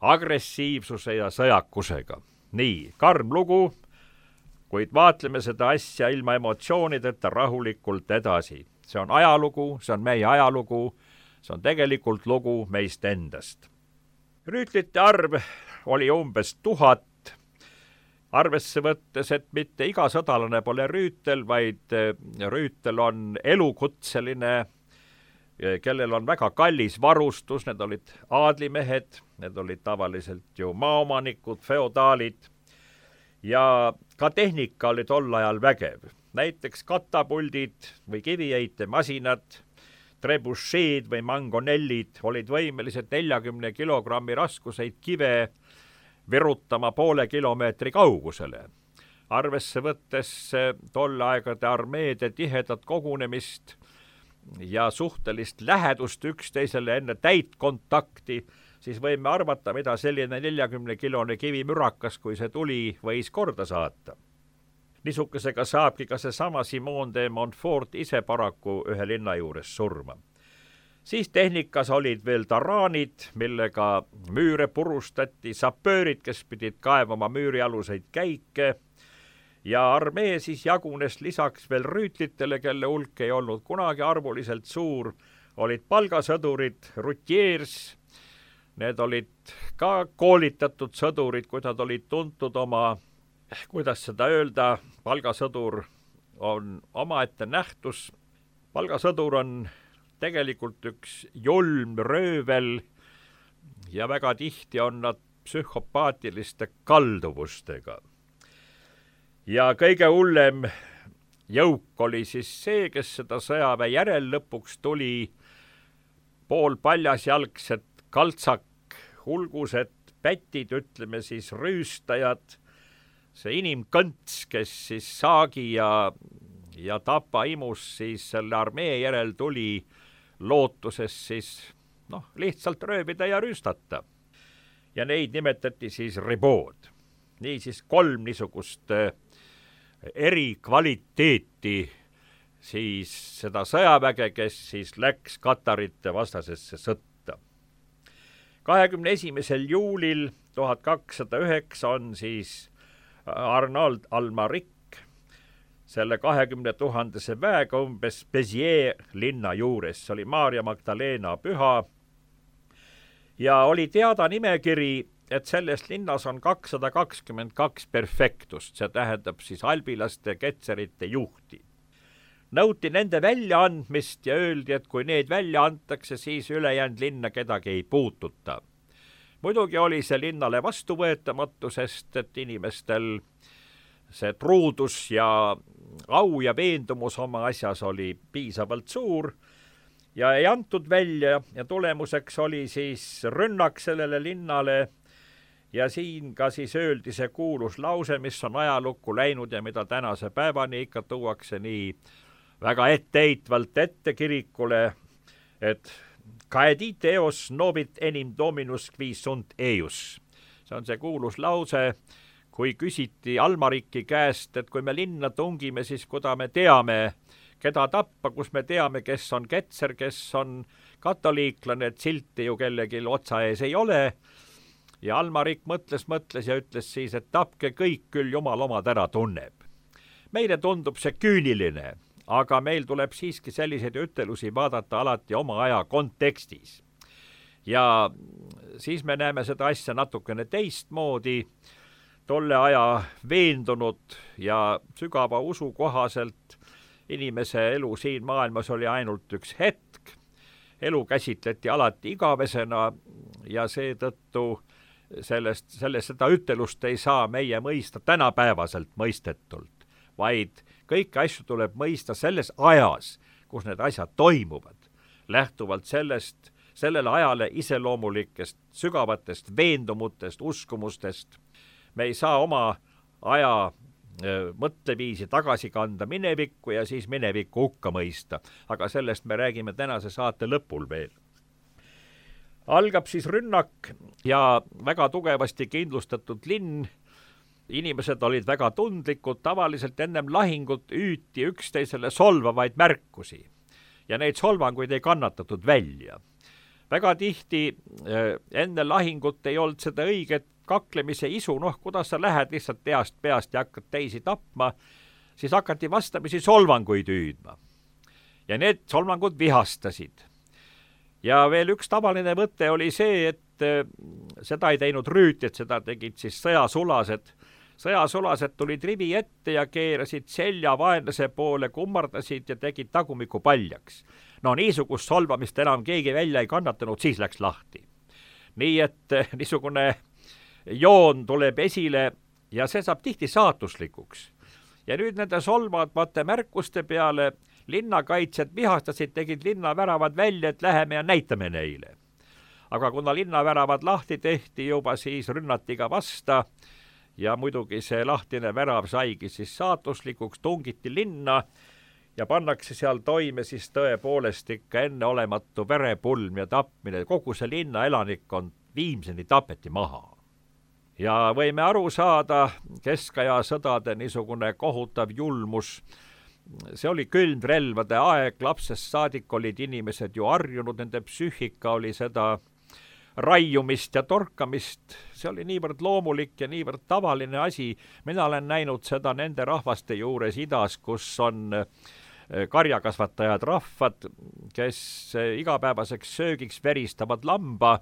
agressiivsuse ja sõjakusega. Nii, karm lugu, kuid vaatleme seda asja ilma emotsioonideta rahulikult edasi. See on ajalugu, see on meie ajalugu, see on tegelikult lugu meist endast. Rüütlite arv oli umbes 1000, arvesse võttes, et mitte iga sõdalane pole rüütel, vaid rüütel on elukutseline, kellel on väga kallis varustus, need olid aadlimehed, need olid tavaliselt ju maaomanikud, feodaalid, ja ka tehnika oli tol ajal vägev. Näiteks katapuldid või kiviheitemasinad, trebucheed või mangonellid olid võimelised 40 kilogrammi raskuseid kive virutama poole kilomeetri kaugusele. Arvesse võttes tolle aegade armeede tihedat kogunemist ja suhtelist lähedust üksteisele enne täitkontakti, siis võime arvata, mida selline 40-kilone kivimürakas, kui see tuli, võis korda saata. Niisukesega saabki ka seesama Simon de Montfort ise paraku ühe linna juures surma. Siis tehnikas olid veel taraanid, millega müüre purustati, sapöörid, kes pidid kaevama müürialuseid käike, ja armee siis jagunes lisaks veel rüütlitele, kelle hulk ei olnud kunagi arvuliselt suur, olid palgasõdurid, rutiers. Need olid ka koolitatud sõdurid, kui nad olid tuntud oma, kuidas seda öelda, palgasõdur on omaette nähtus. Palgasõdur on tegelikult üks julm röövel ja väga tihti on nad psühhopaatiliste kalduvustega. Ja kõige hullem jõuk oli siis see, kes seda sõjaväe järel lõpuks tuli, pool paljasjalgsed kaltsak, hulgused pätid, ütleme siis rüüstajad, see inimkõnts, kes siis saagi ja tapa imus siis selle armee järel tuli lootuses siis lihtsalt röövida ja rüüstata. Ja neid nimetati siis ribood. Niisiis 3 niisugust erikvaliteeti siis seda sõjaväge, kes siis läks katarite vastasesse sõtta. 21. juulil 1209 on siis Arnauld Almaric selle 20 000 väega umbes Béziers linna juures, see oli Maarja Magdalena püha, ja oli teada nimekiri, et selles linnas on 222 perfektust, see tähendab siis albilaste ketserite juhti. Nõuti nende väljaandmist ja öeldi, et kui need välja antakse, siis ülejäänud linna kedagi ei puututa. Muidugi oli see linnale vastuvõetamatu, sest et inimestel see truudus ja au ja veendumus oma asjas oli piisavalt suur ja ei antud välja ja tulemuseks oli siis rünnak sellele linnale ja siin ka siis öeldi see kuulus lause, mis on ajalukku läinud ja mida tänase päevani ikka tuuakse nii väga etteheitvalt ette kirikule, et Caedite eos novit enim dominus qui sunt eius. See on see kuulus lause, kui küsiti Almariki käest, et kui me linna tungime, siis kuda me teame, keda tappa, kus me teame, kes on ketser, kes on katoliiklane, et silti ju kellegi otsa ees ei ole. Ja Almarik mõtles ja ütles siis, et tapke kõik, küll jumal omad ära tunneb. Meile tundub see küüniline, aga meil tuleb siiski selliseid ütelusi vaadata alati oma aja kontekstis. Ja siis me näeme seda asja natukene teistmoodi. Tolle aja veendunud ja sügava usu kohaselt inimese elu siin maailmas oli ainult üks hetk. Elu käsitleti alati igavesena ja seetõttu seda ütelust ei saa meie mõista tänapäevaselt mõistetult, vaid kõiki asju tuleb mõista selles ajas, kus need asjad toimuvad, lähtuvalt sellele ajale iseloomulikest sügavatest veendumutest, uskumustest. Me ei saa oma aja mõtteviisi tagasi kanda minevikku ja siis minevikku hukka mõista, aga sellest me räägime tänase saate lõpul veel. Algab siis rünnak ja väga tugevasti kindlustatud linn. Inimesed olid väga tundlikud, tavaliselt ennem lahingut hüüti üksteisele solvavaid märkusi ja neid solvanguid ei kannatatud välja. Väga tihti enne lahingut ei olnud seda õiget kaklemise isu, kuidas sa lähed lihtsalt peast ja hakkad teisi tapma, siis hakati vastamisi solvanguid hüüdma. Ja need solvangud vihastasid. Ja veel üks tavaline võte oli see, et seda ei teinud rüütid, seda tegid siis sõjasulased. Sõjasulased tulid rivi ette ja keerasid selja vaenlase poole, kummardasid ja tegid tagumiku paljaks. Niisugust solvamist enam keegi välja ei kannatanud, siis läks lahti. Nii et niisugune joon tuleb esile ja see saab tihti saatuslikuks. Ja nüüd nende solvavate märkuste peale linnakaitsjad vihastasid, tegid linnaväravad välja, et läheme ja näitame neile. Aga kuna linnaväravad lahti tehti juba, siis rünnati ka vasta ja muidugi see lahtine värav saigi siis saatuslikuks, tungiti linna ja pannakse seal toime siis tõepoolest ikka enneolematu verepulm ja tapmine. Kogu see linna elanikkond viimseni tapeti maha. Ja võime aru saada keskaja sõdade niisugune kohutav julmus. See oli külmrelvade aeg, lapsest saadik olid inimesed ju harjunud, nende psüühika oli seda raiumist ja torkamist. See oli niivõrd loomulik ja niivõrd tavaline asi. Mina olen näinud seda nende rahvaste juures idas, kus on karjakasvatajad rahvad, kes igapäevaseks söögiks veristavad lamba.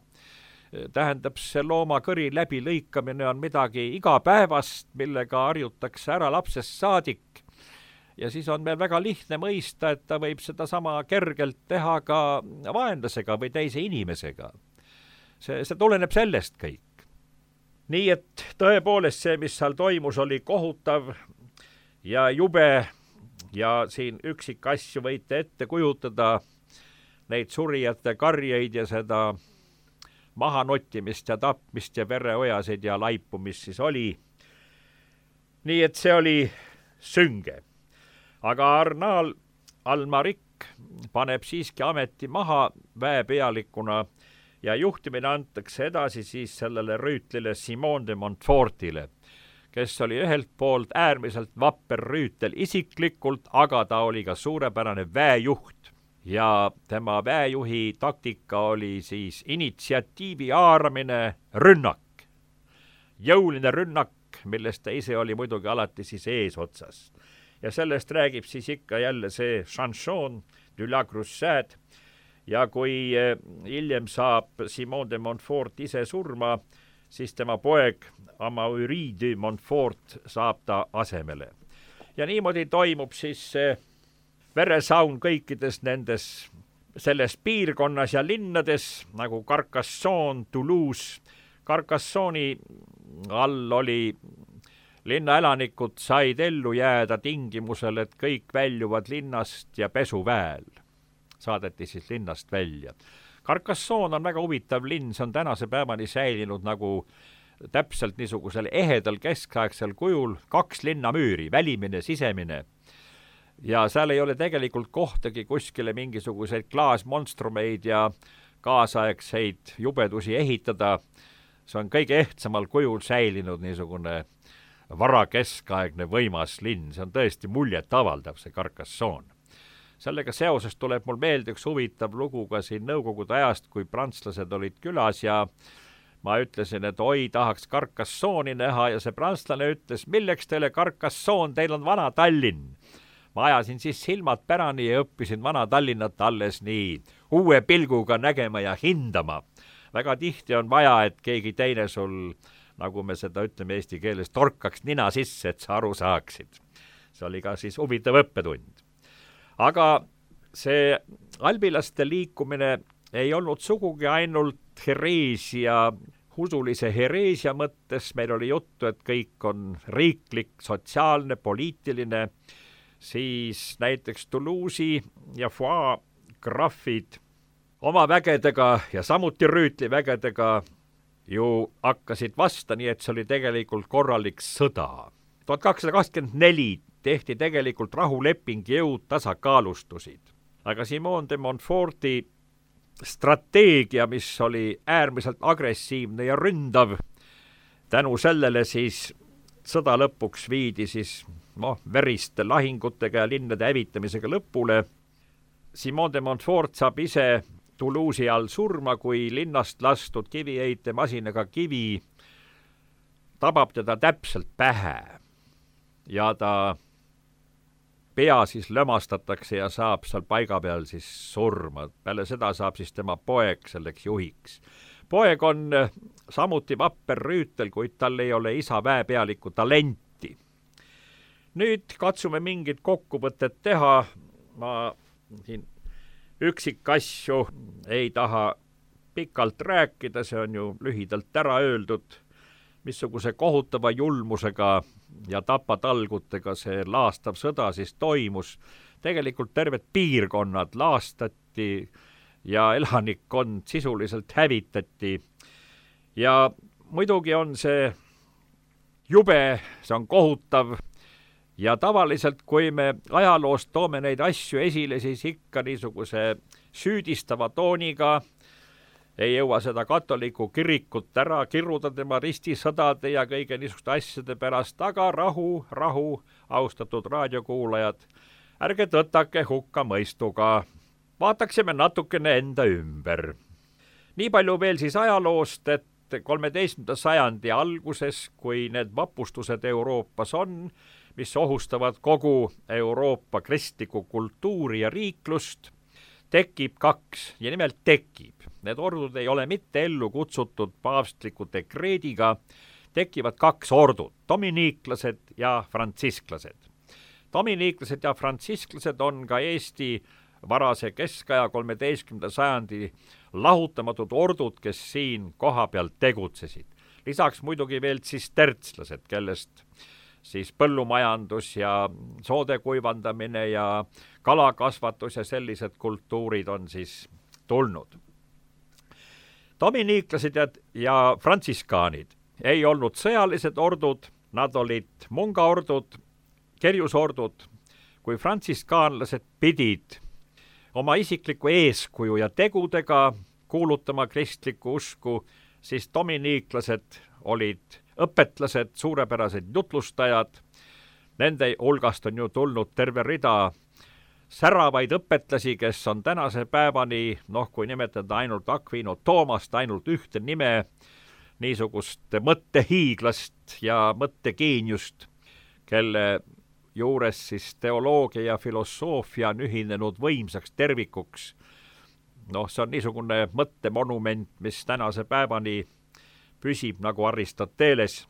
Tähendab, see loomakõri läbilõikamine on midagi igapäevast, millega harjutakse ära lapsest saadik. Ja siis on meil väga lihtne mõista, et ta võib seda sama kergelt teha ka vaenlasega või teise inimesega. See tuleneb sellest kõik. Nii et tõepoolest see, mis seal toimus, oli kohutav ja jube ja siin üksikasju võite ette kujutada neid surijate karjeid ja seda mahanottimist ja tapmist ja vereojasid ja laipumist siis oli. Nii et see oli sünge. Aga Arnaal Almarik paneb siiski ameti maha väepealikuna ja juhtimine antakse edasi siis sellele rüütlile Simon de Montfortile, kes oli ühelt poolt äärmiselt vapper rüütel isiklikult, aga ta oli ka suurepärane väejuht. Ja tema väejuhi taktika oli siis initsiatiivi haaramine, rünnak. Jõuline rünnak, millest ta ise oli muidugi alati siis eesotsas. Ja sellest räägib siis ikka jälle see Chanson de la Crusade. Ja kui hiljem saab Simon de Montfort ise surma, siis tema poeg Amaury de Montfort saab ta asemele. Ja niimoodi toimub siis see veresaun kõikides nendes selles piirkonnas ja linnades, nagu Carcassonne, Toulouse. Carcassonne'i all oli linnaelanikud said ellu jääda tingimusel, et kõik väljuvad linnast ja pesuväel. Saadeti siis linnast välja. Carcassonne on väga huvitav linn, see on tänase päevani säilinud nagu täpselt niisugusel ehedal keskaegsel kujul, 2 linnamüüri, välimine, sisemine. ja seal ei ole tegelikult kohtagi kuskile mingisuguseid klaasmonstrumeid ja kaasaegseid jubedusi ehitada. See on kõige ehtsamal kujul säilinud niisugune varakeskaegne võimas linn, see on tõesti muljet avaldav, see Carcassonne. Sellega seoses tuleb mul meelde üks huvitav lugu ka siin nõukogude ajast, kui prantslased olid külas ja ma ütlesin, et oi, tahaks Carcassonne'i näha ja see prantslane ütles, milleks teile Carcassonne, teil on vana Tallinn. Ma ajasin siis silmad pärani ja õppisin vana Tallinnat alles nii uue pilguga nägema ja hindama. Väga tihti on vaja, et keegi teine sul, nagu me seda ütleme eesti keeles, torkaks nina sisse, et sa aru saaksid. See oli ka siis huvitav õppetund. Aga see albilaste liikumine ei olnud sugugi ainult hereesia, usulise hereesia mõttes, meil oli juttu, et kõik on riiklik, sotsiaalne, poliitiline, siis näiteks Toulouse'i ja Foix grafid oma vägedega ja samuti Rüütli vägedega ju hakkasid vasta, nii et see oli tegelikult korralik sõda. 1224 tehti tegelikult rahuleping, jõud tasakaalustusid. Aga Simon de Montforti strateegia, mis oli äärmiselt agressiivne ja ründav, tänu sellele siis sõda lõpuks viidi siis veriste lahingutega ja linnade hävitamisega lõpule. Simon de Montfort saab ise Toulouse'i all surma, kui linnast lastud kiviheitemasinaga kivi tabab teda täpselt pähe ja ta pea siis lömastatakse ja saab seal paiga peal siis surma. Peale seda saab siis tema poeg selleks juhiks. Poeg on samuti vapper rüütel, kuid tal ei ole isa väepealiku talenti. Nüüd katsume mingit kokkuvõtet teha. Ma siin üksikasju ei taha pikalt rääkida, see on ju lühidalt ära öeldud, missuguse kohutava julmusega ja tapatalgutega see laastav sõda siis toimus. Tegelikult terved piirkonnad laastati ja elanikkond sisuliselt hävitati. Ja muidugi on see jube, see on kohutav ja tavaliselt, kui me ajaloost toome neid asju esile, siis ikka niisuguse süüdistava tooniga, ei jõua seda katoliku kirikut ära kiruda tema ristisõdade ja kõige niisuguste asjade pärast, aga rahu, austatud raadiokuulajad, ärge tõtake hukka mõistuga, vaataksime natukene enda ümber. Nii palju veel siis ajaloost, et 13. sajandi alguses, kui need vapustused Euroopas on, mis ohustavad kogu Euroopa kristlikku kultuuri ja riiklust, tekib kaks ja nimelt tekib. Need ordud ei ole mitte ellu kutsutud paavstliku dekreediga, tekivad kaks ordut, dominiiklased ja frantsisklased. Dominiiklased ja frantsisklased on ka Eesti varase keskaja 13. sajandi lahutamatud ordud, kes siin koha pealt tegutsesid. Lisaks muidugi veel tsistertslased, kellest siis põllumajandus ja soode kuivandamine ja kalakasvatus ja sellised kultuurid on siis tulnud. Dominiiklased ja frantsiskaanid ei olnud sõjalised ordud, nad olid mungaordud, kerjusordud, kui frantsiskaanlased pidid oma isikliku eeskuju ja tegudega kuulutama kristlikku usku, siis dominiiklased olid õpetlased, suurepärased jutlustajad. Nende hulgast on ju tulnud terve rida säravaid õpetlasi, kes on tänase päevani, kui nimetada ainult Aquino Toomast, ainult ühte nime, niisugust mõttehiiglast ja mõttegeeniust, kelle juures siis teoloogia ja filosoofia on ühinenud võimsaks tervikuks. See on niisugune mõttemonument, mis tänase päevani püsib nagu Aristoteles.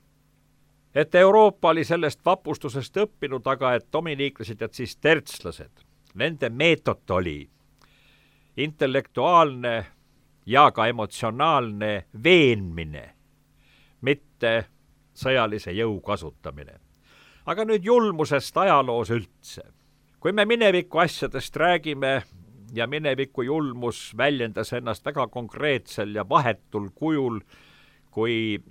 Et Euroopa oli sellest vapustusest õppinud, aga et dominiiklased ja tsistertslased, nende meetod oli intellektuaalne ja ka emotsionaalne veenmine, mitte sõjalise jõu kasutamine. Aga nüüd julmusest ajaloos üldse. Kui me mineviku asjadest räägime ja mineviku julmus väljendas ennast väga konkreetsel ja vahetul kujul, kui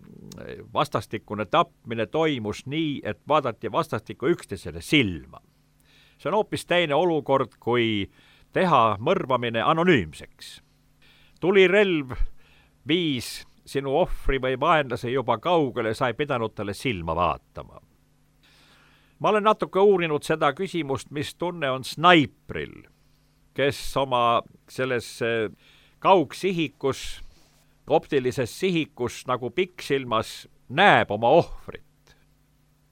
vastastikune tapmine toimus nii, et vaadati vastastikku üksteisele silma, see on hoopis teine olukord, kui teha mõrvamine anonüümseks. Tulirelv viis sinu ohvri või vaenlase juba kaugele, sa ei pidanud talle silma vaatama. Ma olen natuke uurinud seda küsimust, mis tunne on snaipril, kes oma selles kaugsihikus, optilises sihikus nagu pikksilmas näeb oma ohvrit.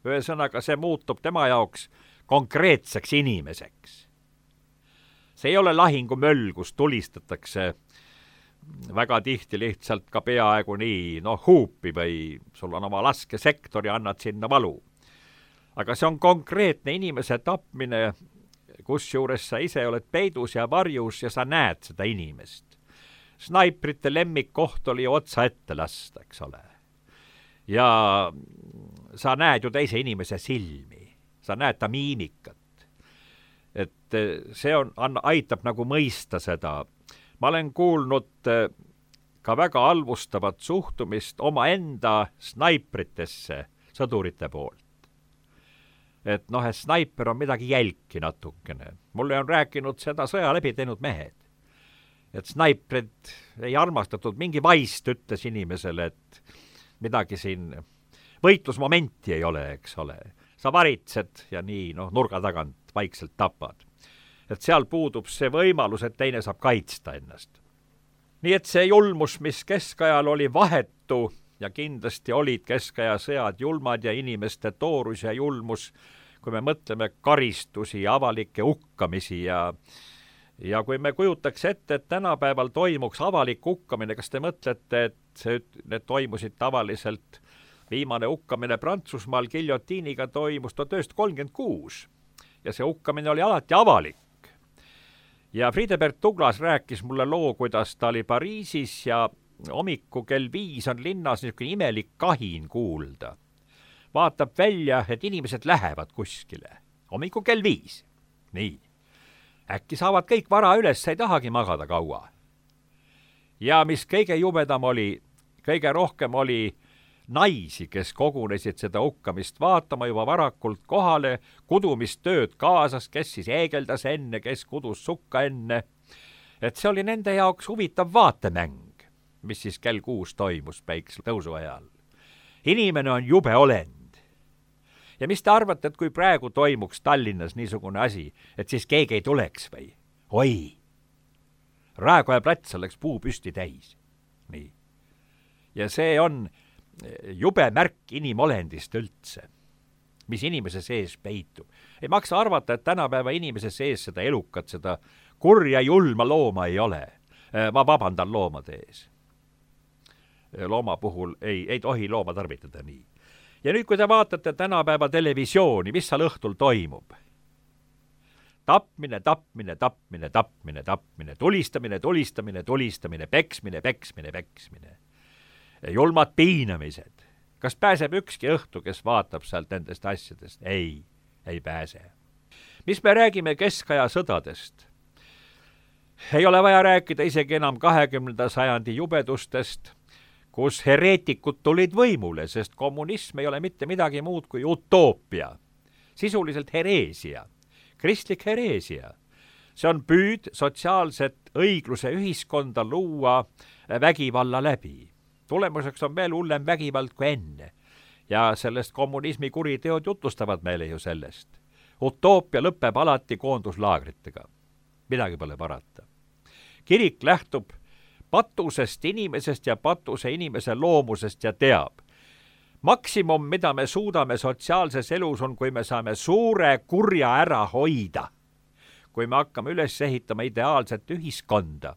Ühesõnaga, see muutub tema jaoks konkreetseks inimeseks. See ei ole lahingumöll, kus tulistatakse väga tihti lihtsalt ka peaaegu nii, huupi või sul on oma laskesektor ja annad sinna valu. Aga see on konkreetne inimese tapmine, kusjuures sa ise oled peidus ja varjus ja sa näed seda inimest. Snaiprite lemmikkoht oli otsa ette lasta, eks ole. Ja sa näed ju teise inimese silmi, sa näed ta miimikat. Et see aitab nagu mõista seda. Ma olen kuulnud ka väga halvustavat suhtumist omaenda snaipritesse sõdurite poolt. Et snaiper on midagi jälki natukene. Mulle on rääkinud seda sõja läbi teinud mehed. Et snaiprid ei armastatud, mingi vaist ütles inimesele, et midagi siin võitlusmomenti ei ole, eks ole. Sa varitsed ja nii, nurga tagant vaikselt tapad. Et seal puudub see võimalus, et teine saab kaitsta ennast. Nii et see julmus, mis keskajal oli vahetu ja kindlasti olid keskaja sõjad julmad ja inimeste toorus ja julmus, kui me mõtleme karistusi ja avalikke hukkamisi ja kui me kujutaks ette, et tänapäeval toimuks avalik hukkamine, kas te mõtlete, et need toimusid tavaliselt, viimane hukkamine Prantsusmaal giljotiiniga toimus 1936 ja see hukkamine oli alati avalik. Ja Friedebert Douglas rääkis mulle loo, kuidas ta oli Pariisis ja hommiku kell 5 on linnas niisugune imelik kahin kuulda. Vaatab välja, et inimesed lähevad kuskile. Hommiku kell 5. Nii. Äkki saavad kõik vara üles, ei tahagi magada kaua. Ja mis kõige jubedam oli, kõige rohkem oli naisi, kes kogunesid seda hukkamist vaatama juba varakult kohale, kudumistööd kaasas, kes siis eegeldas enne, kes kudus sukka enne. Et see oli nende jaoks huvitav vaatemäng, mis siis kell 6 toimus päikse tõusu ajal. Inimene on jube olend. Ja mis te arvate, et kui praegu toimuks Tallinnas niisugune asi, et siis keegi ei tuleks või? Oi! Raekoja plats oleks puu püsti täis. Nii. Ja see on jube märk inimolendist üldse, mis inimese sees peitub. Ei maksa arvata, et tänapäeva inimese sees seda elukat, seda kurja julma looma ei ole. Ma vabandan loomade ees. Looma puhul ei tohi looma tarvitada nii. Ja nüüd, kui te vaatate tänapäeva televisiooni, mis seal õhtul toimub? Tapmine, tapmine, tapmine, tapmine, tapmine, tulistamine, tulistamine, tulistamine, peksmine, peksmine, peksmine. Julmad piinamised. Kas pääseb ükski õhtu, kes vaatab sealt nendest asjadest? Ei pääse. Mis me räägime keskaja sõdadest? Ei ole vaja rääkida isegi enam 20. sajandi jubedustest, kus hereetikud tulid võimule, sest kommunism ei ole mitte midagi muud kui utoopia. Sisuliselt hereesia, kristlik hereesia. See on püüd sotsiaalset õigluse ühiskonda luua vägivalla läbi. Tulemuseks on veel hullem vägivald kui enne. Ja sellest kommunismi kuriteod jutustavad meile ju sellest. Utoopia lõpeb alati koonduslaagritega. Midagi pole parata. Kirik lähtub patusest inimesest ja patuse inimese loomusest ja teab. Maksimum, mida me suudame sotsiaalses elus on, kui me saame suure kurja ära hoida. Kui me hakkame üles ehitama ideaalset ühiskonda.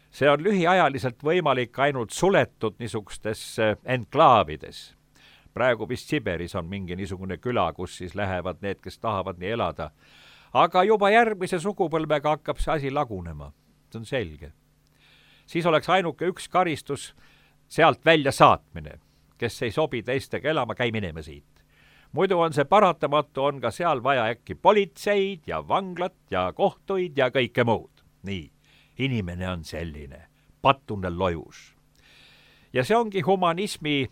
See on lühiajaliselt võimalik ainult suletud niisugustes enklaavides. Praegu vist Siberis on mingi niisugune küla, kus siis lähevad need, kes tahavad nii elada. Aga juba järgmise sugupõlvega hakkab see asi lagunema. See on selge. Siis oleks ainuke üks karistus sealt välja saatmine. Kes ei sobi teistega elama, käi minema siit. Muidu on see paratamatu, on ka seal vaja äkki politseid ja vanglat ja kohtuid ja kõike muud. Nii, inimene on selline, patune lojus. Ja see ongi humanismi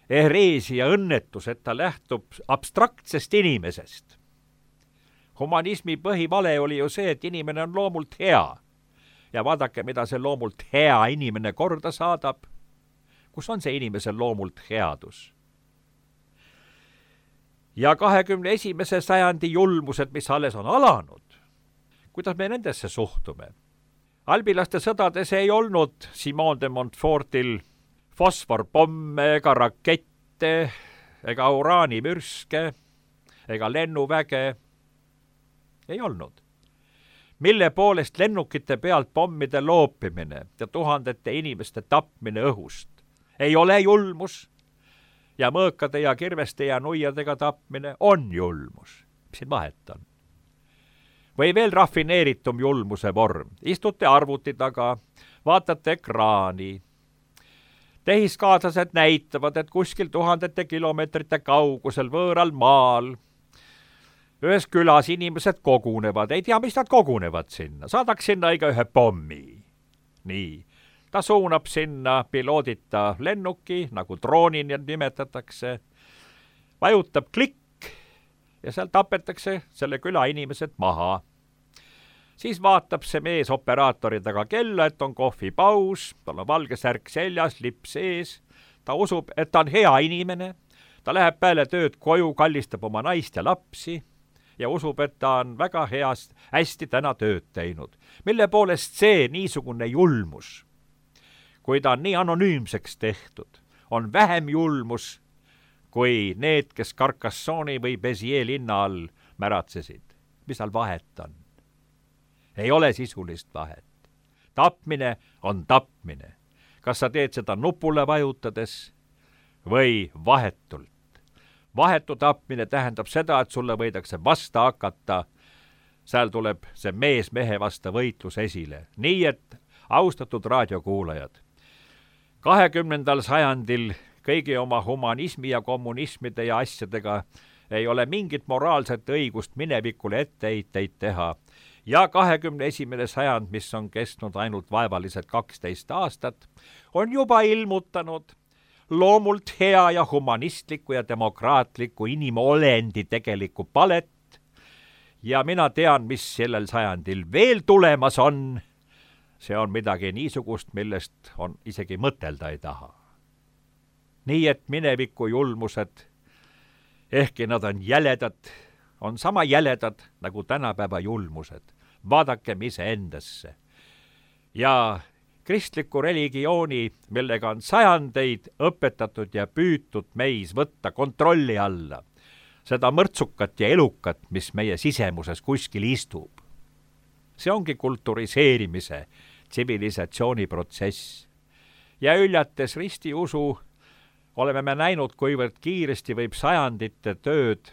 hereesia õnnetus, et ta lähtub abstraktsest inimesest. Humanismi põhivale oli ju see, et inimene on loomult hea. Ja vaadake, mida see loomult hea inimene korda saadab. Kus on see inimesel loomult headus? Ja 21. sajandi julmused, mis alles on alanud, kuidas me nendesse suhtume? Albilaste sõdades ei olnud Simon de Montfortil fosforpomme ega rakette ega uraanimürske ega lennuväge. Ei olnud. Mille poolest lennukite pealt pommide loopimine ja tuhandete inimeste tapmine õhust ei ole julmus ja mõõkade ja kirveste ja nuiadega tapmine on julmus. Mis siin vahet on? Või veel rafineeritum julmuse vorm. Istute arvuti taga, vaatate ekraani. Tehiskaaslased näitavad, et kuskil tuhandete kilomeetrite kaugusel võõral maal ühes külas inimesed kogunevad. Ei tea, mis nad kogunevad sinna. Saadaks sinna iga ühe pommi. Nii. Ta suunab sinna piloodita lennuki, nagu droonini nimetatakse, vajutab klikk ja seal tapetakse selle küla inimesed maha. Siis vaatab see mees operaatori taga kella, et on kohvipaus, tal on valge särk seljas, lips ees, ta usub, et ta on hea inimene, ta läheb peale tööd koju, kallistab oma naist ja lapsi ja usub, et ta on väga hästi täna tööd teinud. Mille poolest see niisugune julmus, kui ta on nii anonüümseks tehtud, on vähem julmus kui need, kes Carcassonne'i või Béziers linna all märatsesid. Mis seal vahet on? Ei ole sisulist vahet. Tapmine on tapmine. Kas sa teed seda nupule vajutades või vahetult? Vahetu tapmine tähendab seda, et sulle võidakse vasta hakata. Seal tuleb see mees mehe vasta võitlus esile. Nii et, austatud raadiokuulajad, 20. sajandil kõigi oma humanismi ja kommunismide ja asjadega ei ole mingit moraalset õigust minevikule etteheiteid teha. Ja 21. sajand, mis on kestnud ainult vaevalised 12 aastat, on juba ilmutanud loomult hea ja humanistliku ja demokraatliku inimolendi tegeliku palet. Ja mina tean, mis sellel sajandil veel tulemas on. See on midagi niisugust, millest on isegi mõtelda ei taha. Nii et mineviku julmused, ehkki nad on jäledad, on sama jäledad nagu tänapäeva julmused. Vaadakem iseendasse. Ja kristliku religiooni, millega on sajandeid õpetatud ja püütud meis võtta kontrolli alla, seda mõrtsukat ja elukat, mis meie sisemuses kuskil istub. See ongi kulturiseerimise, tsivilisatsiooniprotsess. Ja üljates ristiusu oleme me näinud, kuivõrd kiiresti võib sajandite tööd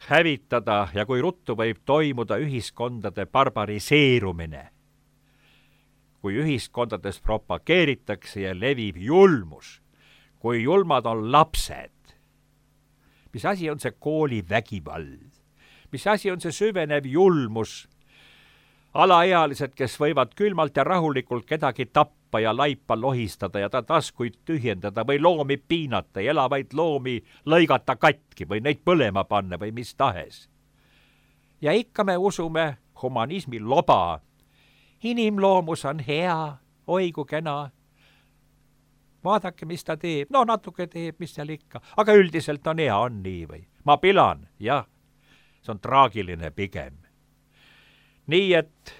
hävitada ja kui ruttu võib toimuda ühiskondade barbariseerumine. Kui ühiskondades propageeritakse ja levib julmus, kui julmad on lapsed. Mis asi on see koolivägivald? Mis asi on see süvenev julmus? Alaealised, kes võivad külmalt ja rahulikult kedagi tappa ja laipa lohistada ja ta taskuid tühjendada või loomi piinata ja elavaid loomi lõigata katki või neid põlema panna või mis tahes. Ja ikka me usume humanismi loba. Inimloomus on hea, oi kui kena. Vaadake, mis ta teeb. No natuke teeb, mis seal ikka. Aga üldiselt on hea, on nii või? Ma pilan, jah. See on traagiline pigem. Nii et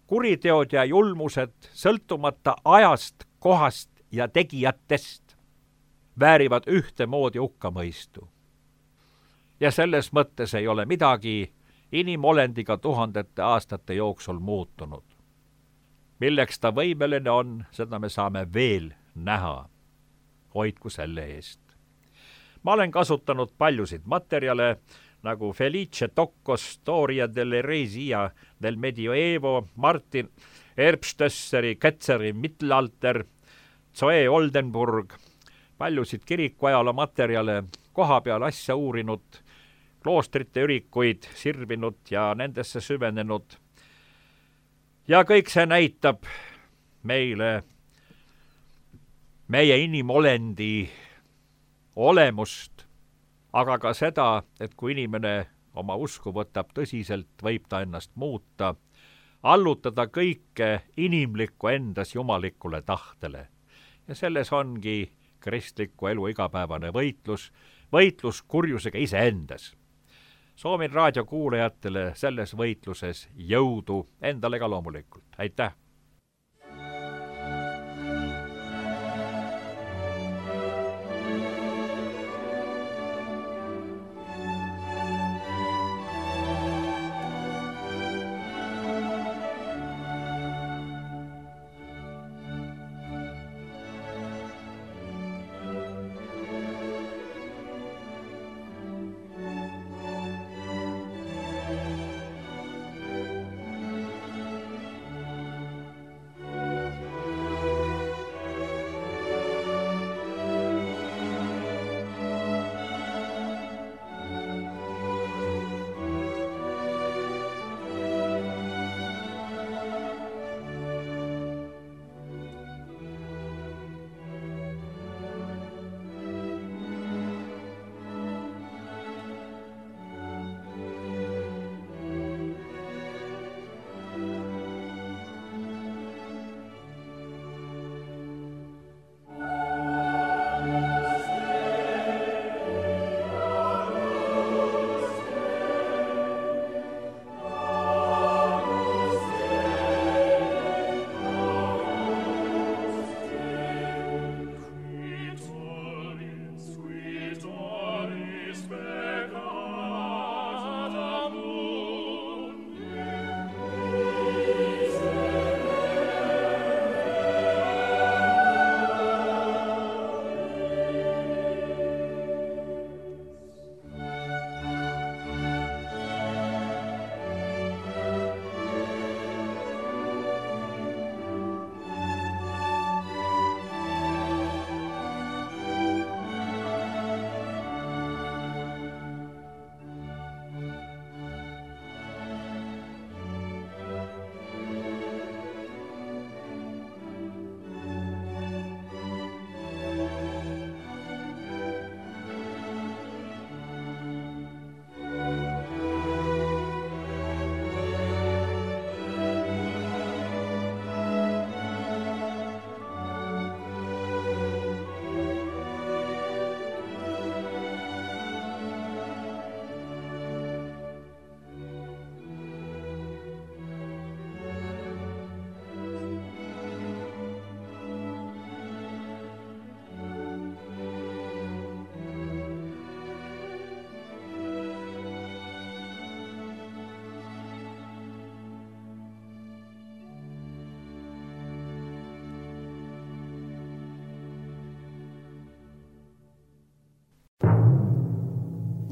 kuriteod ja julmused sõltumata ajast, kohast ja tegijatest väärivad ühtemoodi hukkamõistu. Ja selles mõttes ei ole midagi inimolendiga tuhandete aastate jooksul muutunud. Milleks ta võimeline on, seda me saame veel näha. Hoidku selle eest. Ma olen kasutanud paljusid materjale, nagu Felice Tocco Storia dell'eresia del Medioevo, Martin Erbstösseri, Ketzeri Mittelalter, Zoe Oldenburg, paljusid kirikuajaloo materjale, koha peal asja uurinud, kloostrite ürikuid sirvinud ja nendesse süvenenud. Ja kõik see näitab meile meie inimolendi olemust, aga ka seda, et kui inimene oma usku võtab tõsiselt, võib ta ennast muuta, allutada kõike inimlikku endas jumalikule tahtele. Ja selles ongi kristliku elu igapäevane võitlus kurjusega iseendas. Soovin raadiokuulajatele selles võitluses jõudu, endale ka loomulikult. Aitäh!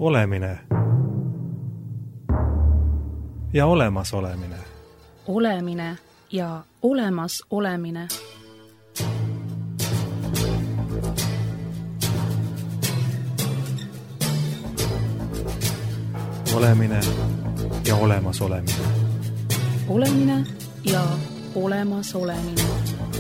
Olemine ja olemasolemine. Olemine ja olemas olemine. Olemine ja olemas olemine. Olemine ja olemas olemine.